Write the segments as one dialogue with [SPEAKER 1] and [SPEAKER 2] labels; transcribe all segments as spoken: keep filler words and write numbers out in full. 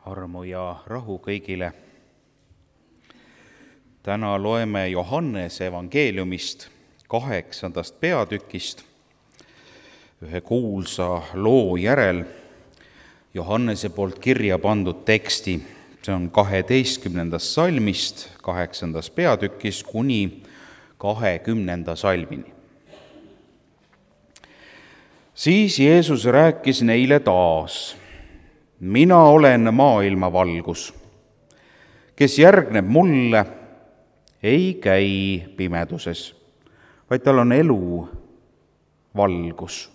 [SPEAKER 1] Armu ja rahu kõigile. Täna loeme Johannese evangeeliumist kaheksandast peatükist ühe kuulsa loo järel Johannese poolt kirja pandud teksti. See on kaheteistkümnendast salmist kaheksandas peatükis kuni kahekümnenda salmini. Siis Jeesus rääkis neile taas: mina olen maailma valgus. Kes järgneb mulle, ei käi pimeduses, vaid tal on elu valgus.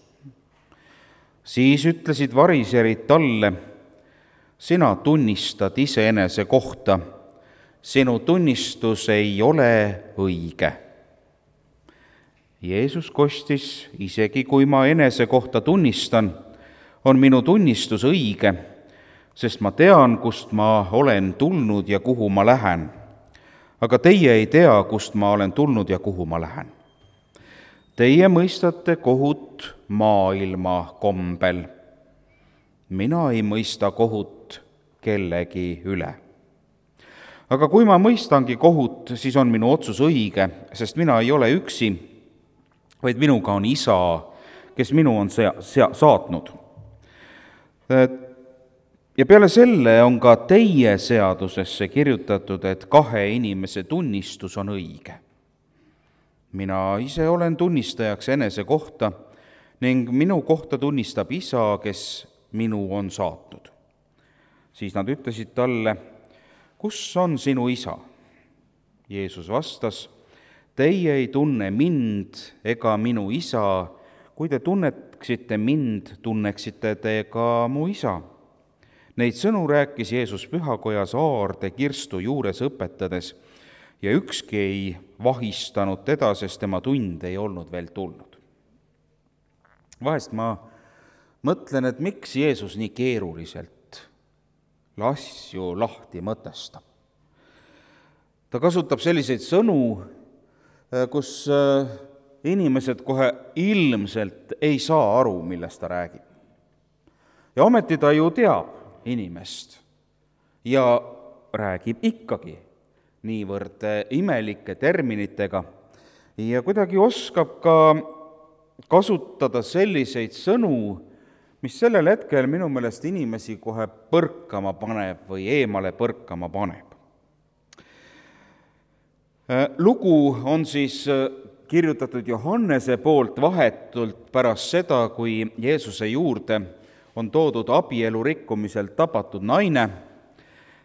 [SPEAKER 1] Siis ütlesid variserid talle: sina tunnistad iseenese kohta, sinu tunnistus ei ole õige. Jeesus kostis: isegi kui ma enese kohta tunnistan, on minu tunnistus õige, sest ma tean, kust ma olen tulnud ja kuhu ma lähen. Aga teie ei tea, kust ma olen tulnud ja kuhu ma lähen. Teie mõistate kohut maailma kombel. Mina ei mõista kohut kellegi üle. Aga kui ma mõistangi kohut, siis on minu otsus õige, sest mina ei ole üksi, vaid minuga on Isa, kes minu on sea- sea- saatnud. Ja peale selle on ka teie seadusesse kirjutatud, et kahe inimese tunnistus on õige. Mina ise olen tunnistajaks enese kohta ning minu kohta tunnistab Isa, kes minu on saatnud. Siis nad ütlesid talle: kus on sinu Isa? Jeesus vastas: teie ei tunne mind ega minu Isa. Kui te tunneksite mind, tunneksite te ka mu Isa. Neid sõnu rääkis Jeesus pühakojas aarde kirstu juures õpetades ja ükski ei vahistanud teda, sest tema tund ei olnud veel tulnud. Vahest ma mõtlen, et miks Jeesus nii keeruliselt asju lahti mõtestab. Ta kasutab selliseid sõnu, kus inimesed kohe ilmselt ei saa aru, millest ta räägib. Ja ometi ta ju teab inimest ja räägib ikkagi niivõrd imelike terminitega ja kuidagi oskab ka kasutada selliseid sõnu, mis sellel hetkel minu meelest inimesi kohe põrkama paneb või eemale põrkama paneb. Lugu on siis kirjutatud Johannese poolt vahetult pärast seda, kui Jeesuse juurde on toodud abielu rikkumiselt tabatud naine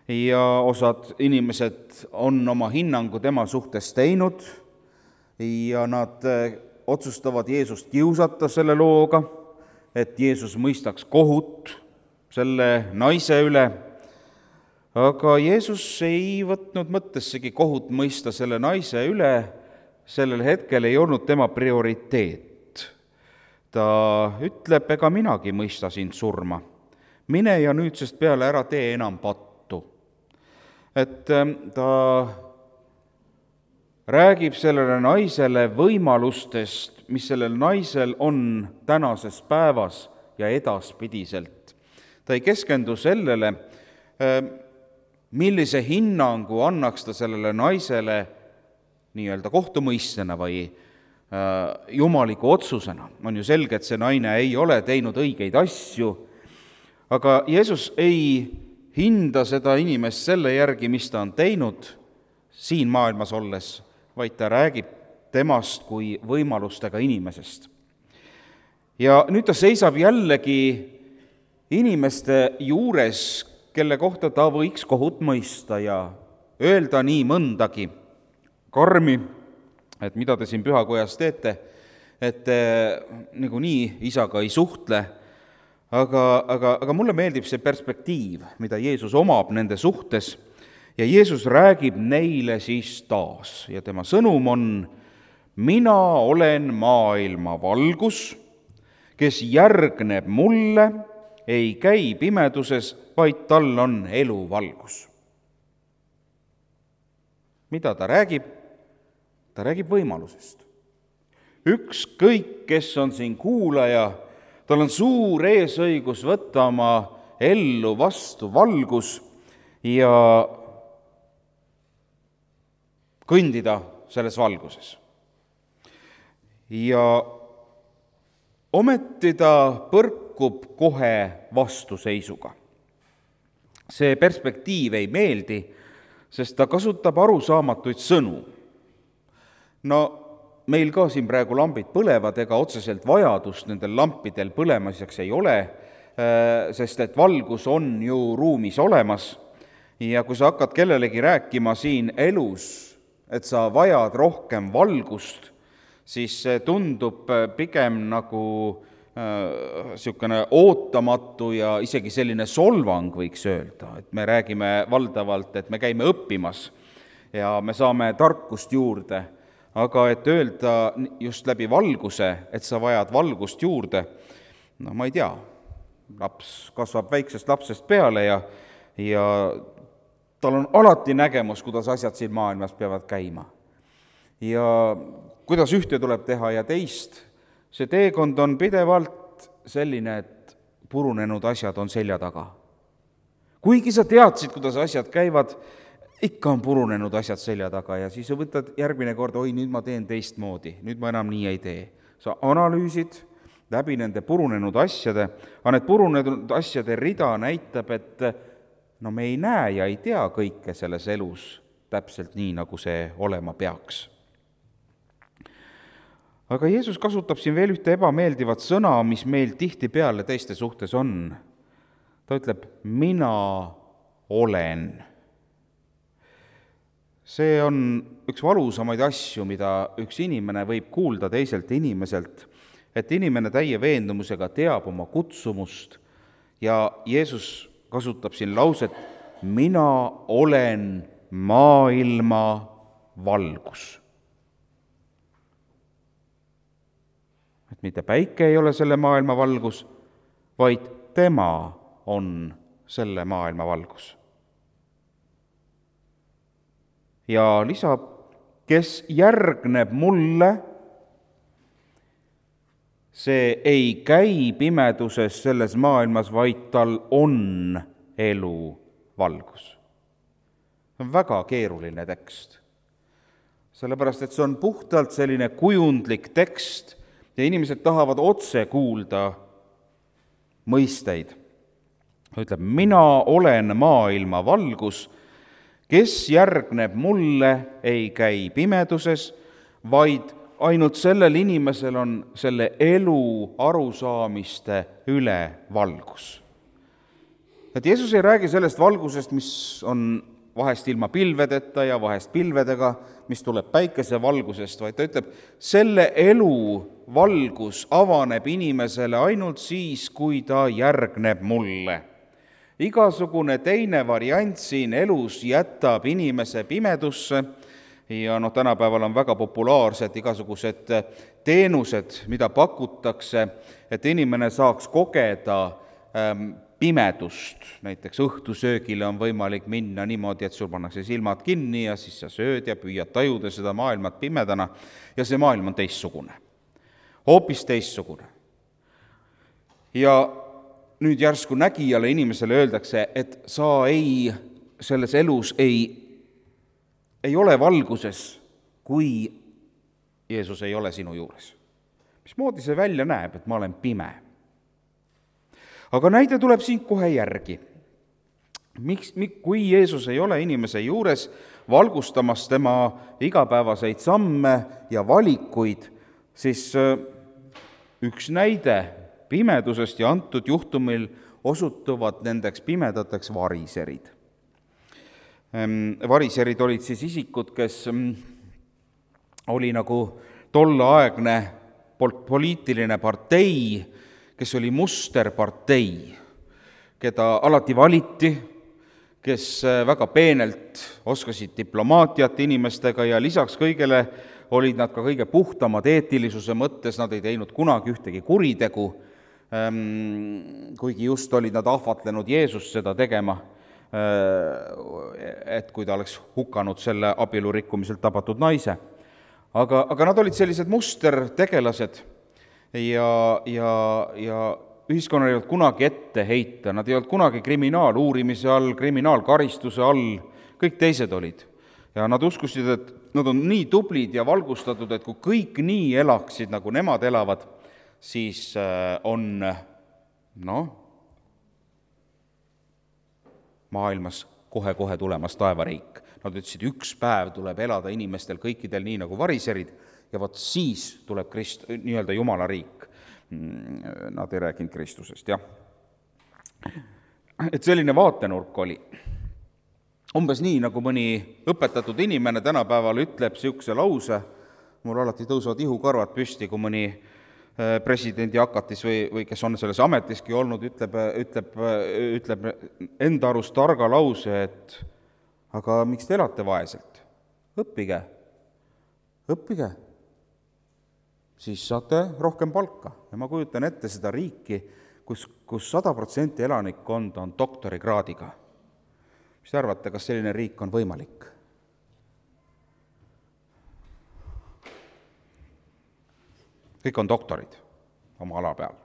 [SPEAKER 1] ja osad inimesed on oma hinnangu tema suhtes teinud ja nad otsustavad Jeesust kiusata selle looga, et Jeesus mõistaks kohut selle naise üle. Aga Jeesus ei võtnud mõttessegi kohut mõista selle naise üle, sellel hetkel ei olnud tema prioriteet. Ta ütleb: ega minagi mõista sind surma. Mine ja nüüdsest peale ära tee enam pattu. Et ta räägib sellele naisele võimalustest, mis sellel naisel on tänases päevas ja edaspidiselt. Ta ei keskendu sellele, millise hinnangu annaks ta sellele naisele nii-öelda kohtumõistena või jumaliku otsusena. On ju selge, et see naine ei ole teinud õigeid asju, aga Jeesus ei hinda seda inimest selle järgi, mis ta on teinud siin maailmas olles, vaid ta räägib temast kui võimalustega inimesest. Ja nüüd ta seisab jällegi inimeste juures, kelle kohta ta võiks kohut mõista ja öelda nii mõndagi karmi, et mida te siin pühakojas teete, et te niikuinii Isaga ei suhtle, aga, aga, aga mulle meeldib see perspektiiv, mida Jeesus omab nende suhtes, ja Jeesus räägib neile siis taas ja tema sõnum on: mina olen maailma valgus, kes järgneb mulle, ei käi pimeduses, vaid tal on elu valgus. Mida ta räägib? Ta räägib võimalusest. Ükskõik, kes on siin kuulaja, tal on suur eesõigus võtta oma ellu vastu valgus ja kõndida selles valguses. Ja ometi ta põrkub kohe vastuseisuga. See perspektiiv ei meeldi, sest ta kasutab arusaamatuid sõnu. No meil ka siin praegu lambid põlevad, ega otseselt vajadust nendel lampidel põlemiseks ei ole, sest et valgus on ju ruumis olemas. Ja kui sa hakkad kellelegi rääkima siin elus, et sa vajad rohkem valgust, siis see tundub pigem nagu niisugune ootamatu ja isegi selline solvang, võiks öelda. Et me räägime valdavalt, et me käime õppimas ja me saame tarkust juurde, aga et öelda just läbi valguse, et sa vajad valgust juurde, no ma ei tea, laps kasvab väiksest lapsest peale ja, ja tal on alati nägemus, kuidas asjad siin maailmas peavad käima. Ja kuidas ühte tuleb teha ja teist, see teekond on pidevalt selline, et purunenud asjad on selja taga. Kuigi sa teadsid, kuidas asjad käivad, ikka on purunenud asjad selja taga ja siis võtad järgmine kord, oi, nüüd ma teen teistmoodi, nüüd ma enam nii ei tee. Sa analüüsid läbi nende purunenud asjade, aga need purunenud asjade rida näitab, et no me ei näe ja ei tea kõike selles elus täpselt nii, nagu see olema peaks. Aga Jeesus kasutab siin veel ühte ebameeldivat sõna, mis meil tihtipeale teiste suhtes on. Ta ütleb, mina olen. See on üks valusamaid asju, mida üks inimene võib kuulda teiselt inimeselt, et inimene täie veendumusega teab oma kutsumust ja Jeesus kasutab siin lauset, mina olen maailma valgus. Et mitte päike ei ole selle maailma valgus, vaid tema on selle maailma valgus. Ja lisab, kes järgneb mulle, see ei käi pimeduses selles maailmas, vaid tal on elu valgus. See on väga keeruline tekst, sellepärast et see on puhtalt selline kujundlik tekst ja inimesed tahavad otse kuulda mõisteid. Ta ütleb, mina olen maailma valgus, kes järgneb mulle, ei käi pimeduses, vaid ainult sellel inimesel on selle elu arusaamiste üle valgus. Et Jeesus ei räägi sellest valgusest, mis on vahest ilma pilvedeta ja vahest pilvedega, mis tuleb päikese valgusest, vaid ta ütleb, selle elu valgus avaneb inimesele ainult siis, kui ta järgneb mulle. Igasugune teine variant siin elus jätab inimese pimedusse ja noh, tänapäeval on väga populaarsed igasugused teenused, mida pakutakse, et inimene saaks kogeda ähm, pimedust. Näiteks õhtusöögile on võimalik minna niimoodi, et sul pannakse silmad kinni ja siis sa sööd ja püüad tajuda seda maailmat pimedana ja see maailm on teistsugune, hoopis teistsugune. Ja nüüd järsku nägijale inimesele öeldakse, et sa ei, selles elus ei, ei ole valguses, kui Jeesus ei ole sinu juures. Mismoodi see välja näeb, et ma olen pime? Aga näide tuleb siin kohe järgi. Miks, kui Jeesus ei ole inimese juures valgustamas tema igapäevaseid samme ja valikuid, siis üks näide pimedusest ja antud juhtumil osutuvad nendeks pimedateks variserid. Variserid olid siis isikud, kes oli nagu tolleaegne poliitiline partei, kes oli musterpartei, keda alati valiti, kes väga peenelt oskasid diplomaatiat inimestega ja lisaks kõigele olid nad ka kõige puhtamad eetilisuse mõttes, nad ei teinud kunagi ühtegi kuritegu, kuigi just olid nad ahvatlenud Jeesust seda tegema, et kui ta oleks hukanud selle abielurikkumiselt tabatud naise. Aga, aga nad olid sellised mustertegelased ja, ja, ja ühiskonnal ei olnud kunagi ette heita, nad ei olnud kunagi kriminaaluurimise all, kriminaalkaristuse all, kõik teised olid. Ja nad uskusid, et nad on nii tublid ja valgustatud, et kui kõik nii elaksid, nagu nemad elavad, siis on, noh, maailmas kohe-kohe tulemas taevariik. Nad ütlesid, üks päev tuleb elada inimestel kõikidel nii nagu variserid ja vot siis tuleb Krist, nii-öelda Jumala riik. Nad ei rääkinud Kristusest, jah. Et selline vaatenurk oli. Umbes nii, nagu mõni õpetatud inimene tänapäeval ütleb siukse lause, mul alati tõusevad ihukarvad püsti, kui mõni presidendi hakatis või, või kes on selles ametiski olnud, ütleb, ütleb, ütleb enda arust targa lause, et aga miks te elate vaeselt? Õppige, õppige, siis saate rohkem palka. Ja ma kujutan ette seda riiki, kus, kus sada protsenti elanikkond on doktorikraadiga. Mis te arvate, kas selline riik on võimalik? Kõik on doktorid oma ala peal.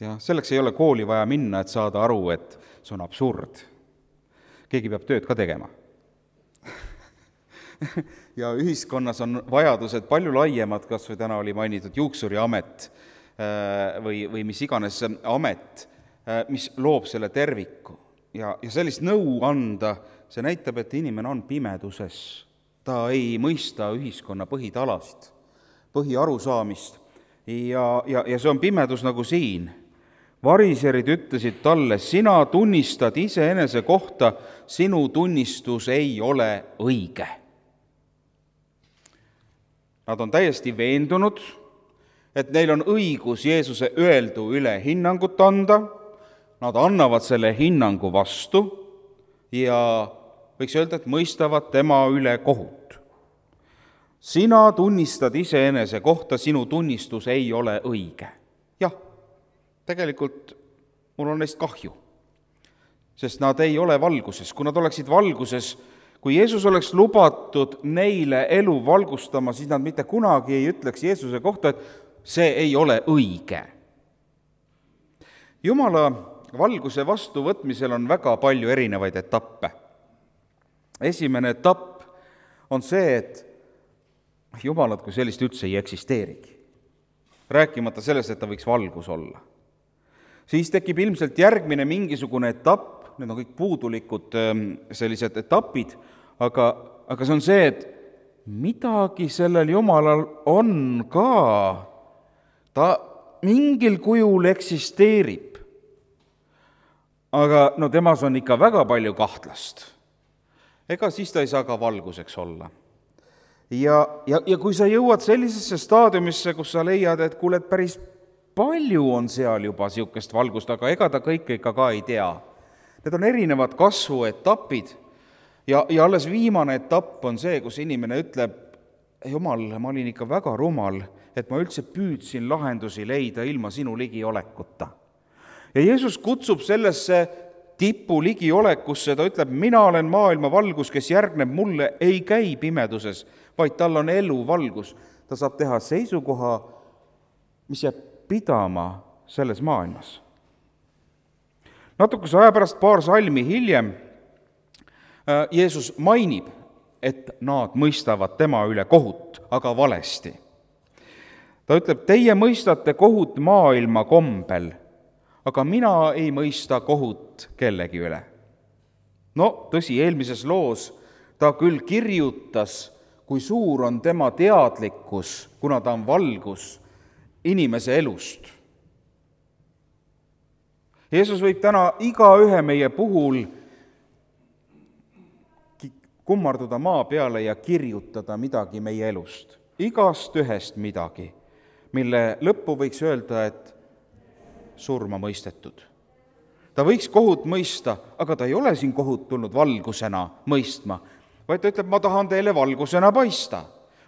[SPEAKER 1] Ja selleks ei ole kooli vaja minna, et saada aru, et see on absurd. Keegi peab tööd ka tegema. Ja ühiskonnas on vajadused palju laiemad, kas või täna oli mainitud juuksuriamet või, või mis iganes amet, mis loob selle terviku. Ja, ja sellist nõu anda, see näitab, et inimene on pimeduses. Ta ei mõista ühiskonna põhitalast, põhiarusaamist ja, ja, ja see on pimedus nagu siin. Variserid ütlesid talle, sina tunnistad iseenese kohta, sinu tunnistus ei ole õige. Nad on täiesti veendunud, et neil on õigus Jeesuse öeldu üle hinnangut anda, nad annavad selle hinnangu vastu ja võiks öelda, et mõistavad tema üle kohut. Sina tunnistad iseenese kohta, sinu tunnistus ei ole õige. Jah, tegelikult mul on neist kahju, sest nad ei ole valguses. Kui nad oleksid valguses, kui Jeesus oleks lubatud neile elu valgustama, siis nad mitte kunagi ei ütleks Jeesuse kohta, et see ei ole õige. Jumala valguse vastuvõtmisel on väga palju erinevaid etappe. Esimene etapp on see, et Jumalat kui sellist üldse ei eksisteerigi. Rääkimata sellest, et ta võiks valgus olla. Siis tekib ilmselt järgmine mingisugune etapp, need on kõik puudulikud sellised etapid, aga, aga see on see, et midagi sellel Jumalal on ka. Ta mingil kujul eksisteerib. Aga no temas on ikka väga palju kahtlast. Ega siis ta ei saa ka valguseks olla. Ja, ja, ja kui sa jõuad sellisesse staadiumisse, kus sa leiad, et kuule, et päris palju on seal juba siukest valgust, aga ega ta kõike ikka ka ei tea. Need on erinevad kasvuetapid ja, ja alles viimane etapp on see, kus inimene ütleb, Jumal, ma olin ikka väga rumal, et ma üldse püüdsin lahendusi leida ilma sinu ligiolekuta. Ja Jeesus kutsub sellesse tipu ligiolekusse, ta ütleb, mina olen maailma valgus, kes järgneb mulle, ei käi pimeduses, vaid tal on elu valgus. Ta saab teha seisukoha, mis jääb pidama selles maailmas. Natukese aja pärast, paar salmi hiljem, Jeesus mainib, et nad mõistavad tema üle kohut, aga valesti. Ta ütleb, teie mõistate kohut maailma kombel, aga mina ei mõista kohut kellegi üle. No, tõsi, eelmises loos ta küll kirjutas, kui suur on tema teadlikkus, kuna ta on valgus inimese elust. Jeesus võib täna igaühe meie puhul kummarduda maa peale ja kirjutada midagi meie elust. Igast ühest midagi, mille lõppu võiks öelda, et surma mõistetud. Ta võiks kohut mõista, aga ta ei ole siin kohut tulnud valgusena mõistma, vaid ta ütleb, ma tahan teile valgusena paista.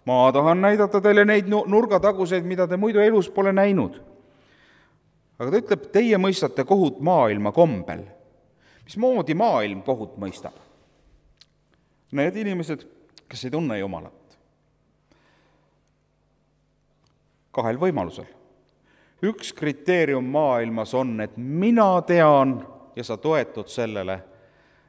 [SPEAKER 1] Ma tahan näidata teile neid nurgataguseid, mida te muidu elus pole näinud. Aga ta ütleb, teie mõistate kohut maailma kombel. Mismoodi maailm kohut mõistab? Need inimesed, kes ei tunne Jumalat. kahel võimalusel. Üks kriteerium maailmas on, et mina tean ja sa toetud sellele,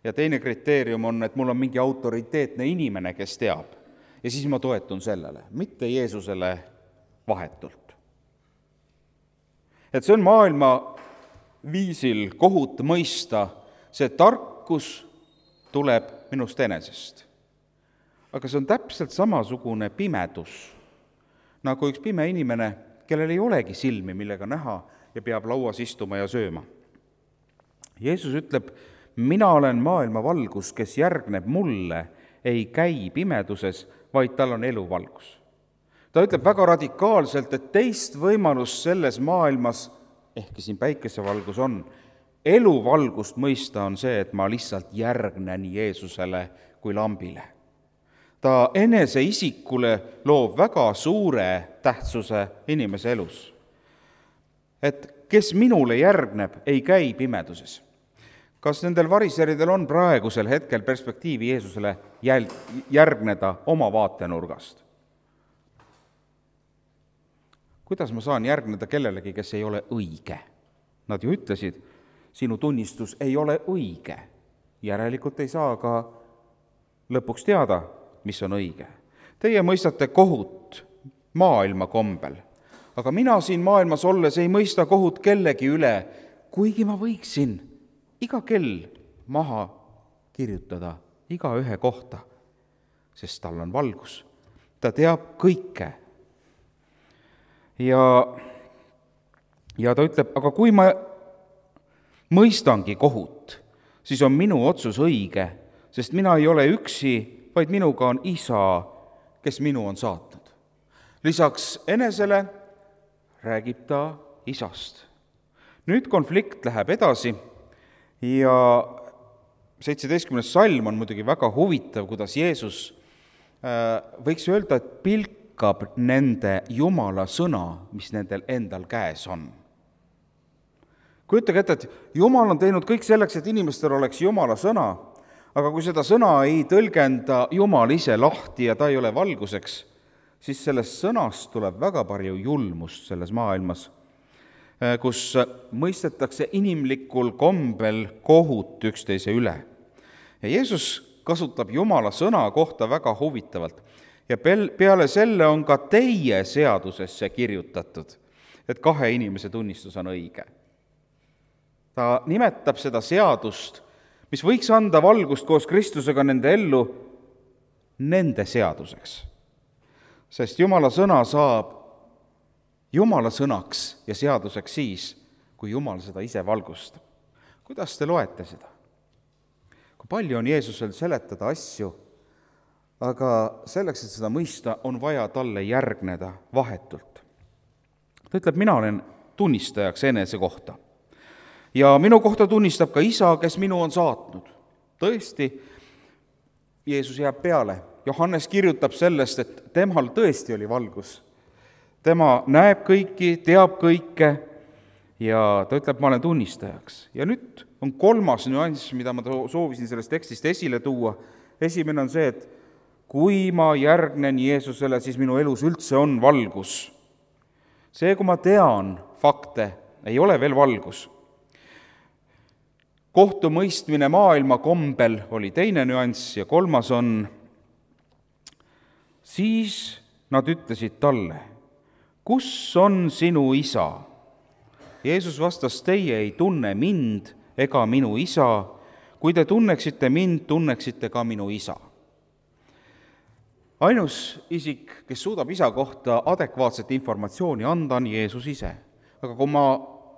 [SPEAKER 1] ja teine kriteerium on, et mul on mingi autoriteetne inimene, kes teab, ja siis ma toetun sellele, mitte Jeesusele vahetult. Et see on maailma viisil kohut mõista, see tarkus tuleb minust enesest. Aga see on täpselt samasugune pimedus, nagu üks pime inimene, kellel ei olegi silmi, millega näha ja peab lauas istuma ja sööma. Jeesus ütleb, mina olen maailma valgus, kes järgneb mulle, ei käi pimeduses, vaid tal on eluvalgus. Ta ütleb väga radikaalselt, et teist võimalust selles maailmas, ehkki siin päikesevalgus on, eluvalgust mõista on see, et ma lihtsalt järgnen Jeesusele kui lambile. Ta enese isikule loob väga suure tähtsuse inimese elus. Et kes minule järgneb, ei käi pimeduses. Kas nendel variseridel on praegusel hetkel perspektiivi Jeesusele jäl- järgneda oma vaatenurgast? Kuidas ma saan järgneda kellelegi, kes ei ole õige? Nad ju ütlesid, sinu tunnistus ei ole õige. Järelikult ei saa ka lõpuks teada, mis on õige. Teie mõistate kohut maailma kombel, aga mina siin maailmas olles ei mõista kohut kellegi üle, kuigi ma võiksin iga kell maha kirjutada iga ühe kohta, sest tal on valgus. Ta teab kõike. Ja, ja ta ütleb, aga kui ma mõistangi kohut, siis on minu otsus õige, sest mina ei ole üksi, vaid minuga on Isa, kes minu on saatnud. Lisaks enesele räägib ta Isast. Nüüd konflikt läheb edasi ja seitseteistkümnes salm on muidugi väga huvitav, kuidas Jeesus võiks öelda, et pilkab nende Jumala sõna, mis nendel endal käes on. Kujutage ette, et Jumal on teinud kõik selleks, et inimestel oleks Jumala sõna, aga kui seda sõna ei tõlgenda Jumal ise lahti ja ta ei ole valguseks, siis sellest sõnast tuleb väga palju julmust selles maailmas, kus mõistetakse inimlikul kombel kohut üksteise üle. Ja Jeesus kasutab Jumala sõna kohta väga huvitavalt. Ja peale selle on ka teie seadusesse kirjutatud, et kahe inimese tunnistus on õige. Ta nimetab seda seadust, mis võiks anda valgust koos Kristusega nende ellu, nende seaduseks. Sest Jumala sõna saab Jumala sõnaks ja seaduseks siis, kui Jumal seda ise valgustab. Kuidas te loete seda? Kui palju on Jeesusel seletada asju, aga selleks, et seda mõista, on vaja talle järgneda vahetult. Ta ütleb, mina olen tunnistajaks enese kohta. Ja minu kohta tunnistab ka Isa, kes minu on saatnud. Tõesti, Jeesus jääb peale. Johannes kirjutab sellest, et temal tõesti oli valgus. Tema näeb kõiki, teab kõike ja ta ütleb, ma olen tunnistajaks. Ja nüüd on kolmas nüanss, mida ma soovisin sellest tekstist esile tuua. Esimene on see, et kui ma järgnen Jeesusele, siis minu elus üldse on valgus. See, kui ma tean fakte, ei ole veel valgus. Kohtumõistmine maailma kombel oli teine nüanss ja kolmas on, siis nad ütlesid talle, kus on sinu Isa? Jeesus vastas, teie ei tunne mind ega minu Isa. Kui te tunneksite mind, tunneksite ka minu Isa. Ainus isik, kes suudab Isa kohta adekvaatset informatsiooni anda, on Jeesus ise. Aga kui ma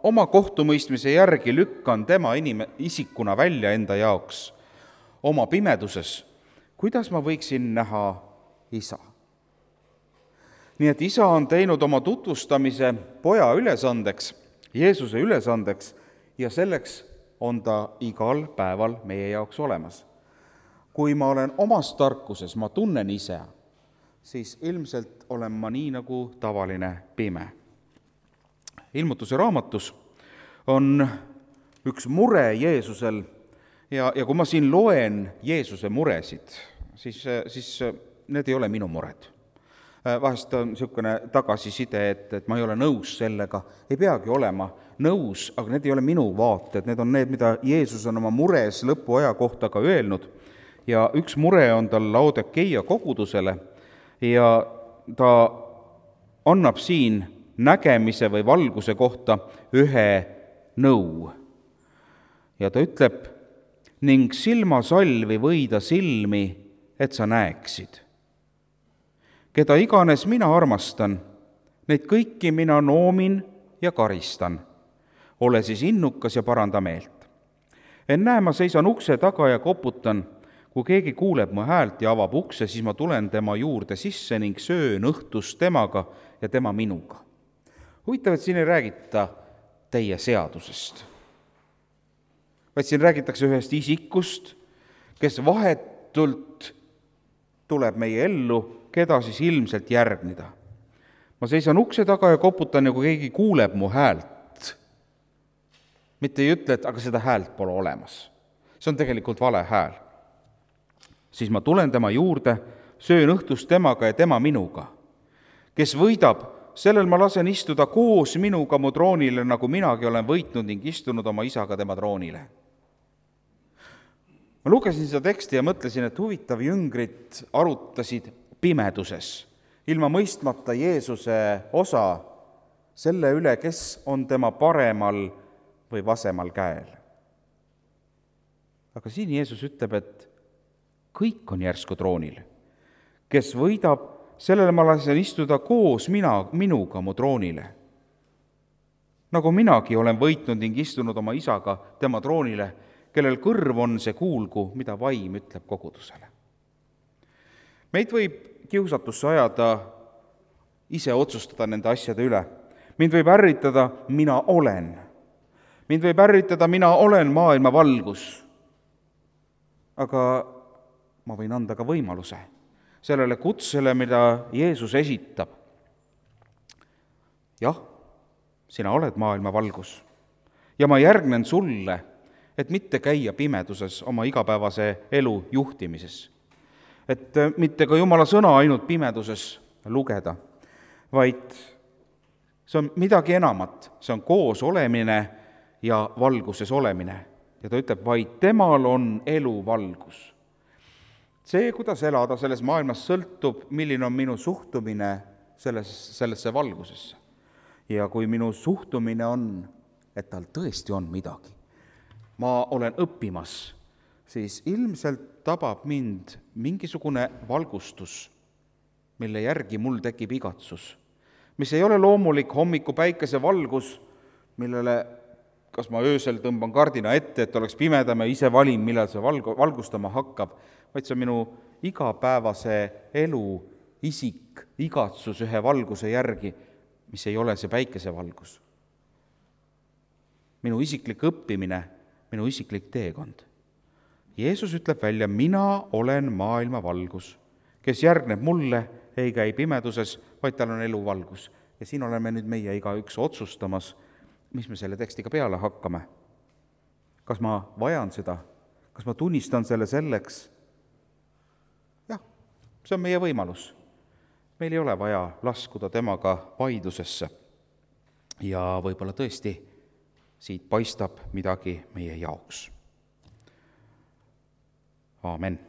[SPEAKER 1] oma kohtumõistmise järgi lükkan tema inime, isikuna välja enda jaoks oma pimeduses, kuidas ma võiksin näha Isa? Nii et Isa on teinud oma tutvustamise poja ülesandeks, Jeesuse ülesandeks, ja selleks on ta igal päeval meie jaoks olemas. Kui ma olen omas tarkuses, ma tunnen ise, siis ilmselt olen ma nii nagu tavaline pime. Ilmutuse raamatus on üks mure Jeesusel ja, ja kui ma siin loen Jeesuse muresid, siis, siis need ei ole minu mured. vahest on niisugune tagasiside, et, et ma ei ole nõus sellega, ei peagi olema nõus, aga need ei ole minu vaated, need on need, mida Jeesus on oma mures lõpuaja kohta ka öelnud. Ja üks mure on tal Laodikeia kogudusele ja ta annab siin nägemise või valguse kohta ühe nõu. Ja ta ütleb, ning silmasalvi võida silmi, et sa näeksid. Keda iganes mina armastan, neid kõiki mina noomin ja karistan. Ole siis innukas ja paranda meelt. Ennäe, ma seisan ukse taga ja koputan. Kui keegi kuuleb mu häält ja avab ukse, siis ma tulen tema juurde sisse ning söön õhtust temaga ja tema minuga. Huvitav, et siin ei räägita teie seadusest, vaid siin räägitakse ühest isikust, kes vahetult tuleb meie ellu, keda siis ilmselt järgneda. Ma seisan ukse taga ja koputan ja kui keegi kuuleb mu häält, mitte ei ütle, et aga seda häält pole olemas. See on tegelikult vale hääl. Siis ma tulen tema juurde, söön õhtust temaga ja tema minuga. Kes võidab, sellel ma lasen istuda koos minuga mu troonile, nagu minagi olen võitnud ning istunud oma isaga tema troonile. Ma lugesin seda teksti ja mõtlesin, et huvitav, jüngrid arutasid pimeduses, ilma mõistmata Jeesuse osa selle üle, kes on tema paremal või vasemal käel. Aga siin Jeesus ütleb, et kõik on järsku troonil. Kes võidab, sellele ma lasen istuda koos mina, minuga mu troonile. Nagu minagi olen võitnud ning istunud oma isaga tema troonile, kellel kõrv on, see kuulgu, mida vaim ütleb kogudusele. Meid võib kiusatusse ajada ise otsustada nende asjade üle. Mind võib ärritada, mina olen. Mind võib ärritada, mina olen maailma valgus. Aga ma võin anda ka võimaluse sellele kutsele, mida Jeesus esitab. Jah, sina oled maailma valgus ja ma järgnen sulle, et mitte käia pimeduses oma igapäevase elu juhtimises. Et mitte ka Jumala sõna ainult pimeduses lugeda, vaid see on midagi enamat, see on koos olemine ja valguses olemine. Ja ta ütleb, vaid temal on elu valgus. See, kuidas elada selles maailmas, sõltub, milline on minu suhtumine selles, sellesse valgusesse. Ja kui minu suhtumine on, et tal tõesti on midagi, ma olen õppimas, siis ilmselt tabab mind mingisugune valgustus, mille järgi mul tekib igatsus, mis ei ole loomulik hommiku päikese valgus, millele kas ma öösel tõmban kardina ette, et oleks pimedam ja ise valin, millal see valgu, valgustama hakkab, vaid see on minu igapäevase elu isik, igatsus ühe valguse järgi, mis ei ole see päikesevalgus. Minu isiklik õppimine, minu isiklik teekond. Jeesus ütleb välja, mina olen maailma valgus, kes järgneb mulle, ei käi pimeduses, vaid tal on elu valgus. Ja siin oleme nüüd meie igaüks otsustamas, mis me selle tekstiga peale hakkame. Kas ma vajan seda? Kas ma tunnistan selle selleks? Jah, see on meie võimalus. Meil ei ole vaja laskuda temaga vaidlusesse. Ja võib-olla tõesti siit paistab midagi meie jaoks. Aamen.